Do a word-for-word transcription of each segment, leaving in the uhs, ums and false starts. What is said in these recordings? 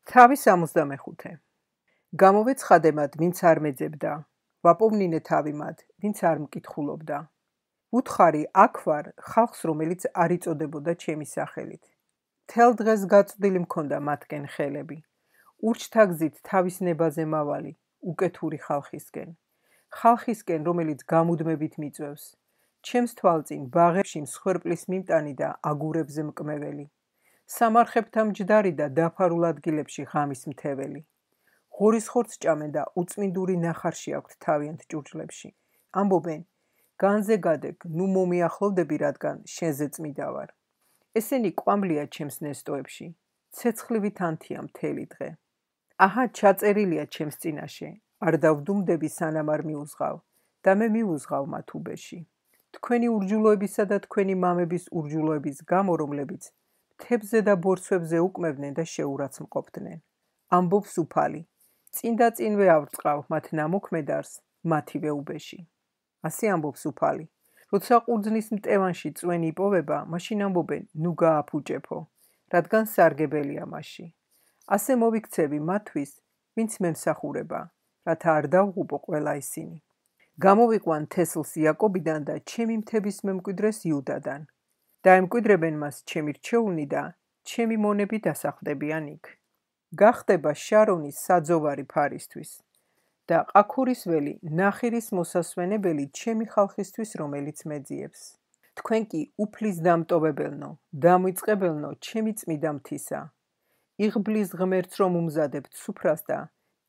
თავის სამოცდამეხუთე. გამოვეცხადე მათ, ვინც არ მეძებდა, ვაპოვნინე თავი მათ, ვინც არ მკითხულობდა. ვუთხარი აქ ვარ ხალხს, რომელიც არ იწოდებოდა ჩემი სახელით. თელ დღეს გაწვდილი მქონდა მათკენ ხელები. ურჩთა გზით თავის ნებაზე მავალი, უკეთური ხალხისკენ. ხალხისკენ, რომელიც გამუდმებით მიწვევს. ჩემს თვალწინ ბაღებში მსხვერპლის მიმტანი და აგურებზე მკმეველი. სამარხებთა მჯდარი და დაფარულ ადგილებში ღამის მთეველი. ღორის ხორცს ჭამენ და უწმინდური ნახარში აქვთ თავიანთ ჭურჭლებში. ამბობენ, განზე გადეგ, ნუ მომიახლოვდები, რადგან შენზე წმიდა ვარ. ესენი კვამლია ჩემს ნესტოებში, ცეცხლივით ანთია მთელი დღე. აჰა, ჩაწერილია ჩემს წინაშე, არ დავდუმდები სანამ არ მიუზღავ და მე მიუზღავ მათ უბეში. თქვენი ურჯულოებისა და თქვენი მამების ურჯულოების გამო, რომლებიც მთებზე და ბორცვებზე უკმევდნენ და შეურაც მყოფდნენ. ამბობს უფალი, წინ და წინვე ავრწყავ მათ ნამოქმედარს მათივე უბეში. ასე ამბობს უფალი. როცა ყურძნის მტევანში წვენი იპოვება, მაშინ ამბობენ, ნუ გააფუჭეფო, რადგან სარგებელია მასში. ასე მოვიქცევი მათთვის, ვინც მემსახურება, რათა არ დავღუპო ყველა ისინი. გამოვიყვან თესლს იაკობიდან და ჩემი მთების მემკვიდრეს იუდადან. დაემკვიდრებენ მას ჩემი რჩეულნი და ჩემი მონები დასახდებიან იქ. გახდება შარონის საძოვარი ფარისთვის და ყაქურის ველი ნახირის მოსასვენებელი ჩემი ხალხისთვის, რომელიც მეძიებს. თქვენ კი უფლის დამტოვებელნო, დამვიწყებელნო ჩემი წმიდა მთისა. იღბლის ღმერთს რომ უმზადებთ სუფრას და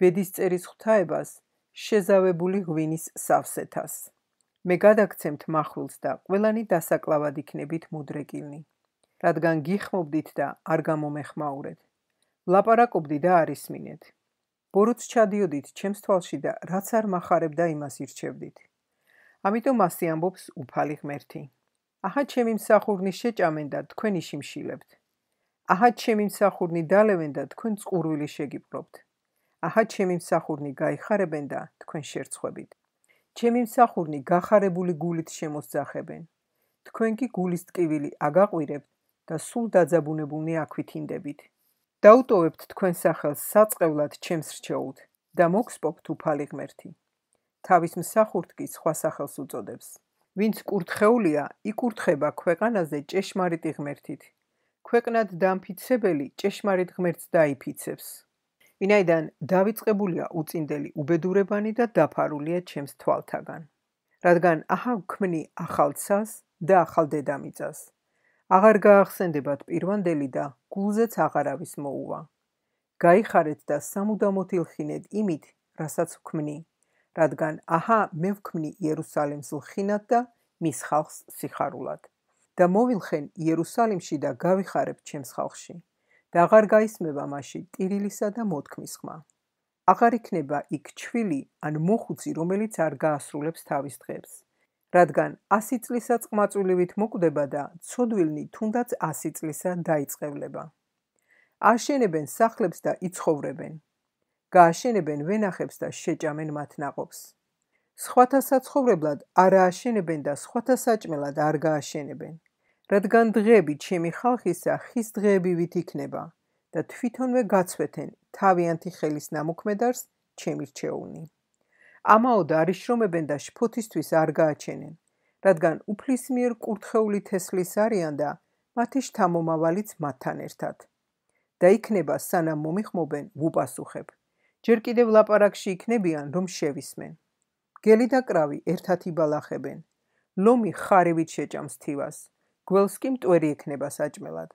ბედისწერის ღვთაებას შეზავებული ღვინის სავსეთას. მე გადაგცემთ მახვილს და ყველანი დასაკლავად იქნებით მუდრეკილნი. რადგან გიხმობდით და არ გამომეხმაურეთ. ლაპარაკობდი და არ ისმინეთ. ბოროტს ჩადიოდით ჩემს თვალში და რაც არ მახარებდა, იმას ირჩევდით. ამიტომ ასე ამბობს უფალი ღმერთი. აჰა, ჩემი მსახურნი შეჭამენ და თქვენ იშიმშილებთ. აჰა, ჩემი მსახურნი დალევენ და თქვენ წყურვილი შეგიპყრობთ. აჰა, ჩემი მსახურნი გაიხარებენ და თქვენ შერცხვებით. ჩემი მსახურნი გახარებული გულით შემოსძახებენ. თქვენ კი გულის ტკივილი აგაყვირებთ და სულ დაძაბუნებულნი აქვითინდებით. დაუტოვებთ თქვენ სახელს საწყევლად ჩემს რჩეულთ და მოგსპობთ უფალი ღმერთი. თავის მსახურთ კი სხვა სახელს უწოდებს. ვინც კურთხეულია, იკურთხება ქვეყანაზე ჭეშმარიტი ღმერთით. ქვეყნად დამფიცებელი ჭეშმარიტ ღმერთს დაიფიცებს. ვინაიდან დავიწყებულია უწინდელი უბედურებანი და დაფარულია ჩემს თვალთაგან. რადგან აჰა ვქმნი ახალ ცას და ახალ დედამიწას. აღარ გაახსენდებათ პირვანდელი და გულზეც აღარავის მოუვა. გაიხარეთ და სამუდამოდ ილხინეთ იმით, რასაც ვქმნი, რადგან აჰა მე ვქმნი იერუსალიმს ლხინად და მის ხალხს სიხარულად. და მოვილხენ იერუსალიმში და გავიხარებ ჩემს ხალხში. და აღარ გაისმება მასში ტირილისა და მოთქმის ხმა. აღარ იქნება იქ ჩვილი ან მოხუცი, რომელიც არ გაასრულებს თავის დღებს. რადგან ასი წლისა წყმაწვილივით მოკვდება და ცოდვილნი თუნდაც ასი წლისა დაიწყევლება. აშენებენ სახლებს და იცხოვრებენ. გააშენებენ ვენახებს და შეჭამენ მათ ნაყოფს. სხვათა საცხოვრებლად არ ააშენებენ და სხვათა საჭმელად არ გააშენებენ. რადგან დღეები ჩემი ხალხისა ხის დღეებივით იქნება და თვითონვე გაცვეთენ თავიანთი ხელის ნამოქმედარს ჩემი რჩეულნი. ამაოდ არ იშრომებენ და შფოთისთვის არ გააჩენენ, რადგან უფლის მიერ კურთხეული თესლის არიან და მათი შთამომავალიც მათთან ერთად. და იქნება სანამ მომიხმობენ, ვუპასუხებ. ჯერ კიდევ ლაპარაკში იქნებიან, რომ შევისმენ. გელი და კრავი ერთად იბალახებენ. ლომი ხარივით შეჭამს თივას. გველს კი მტვერი ექნება საჭმელად.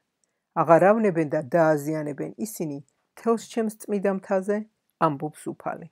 აღარ ავნებენ და დააზიანებენ ისინი თელს ჩემს წმიდა მთაზე, ამბობს უფალი.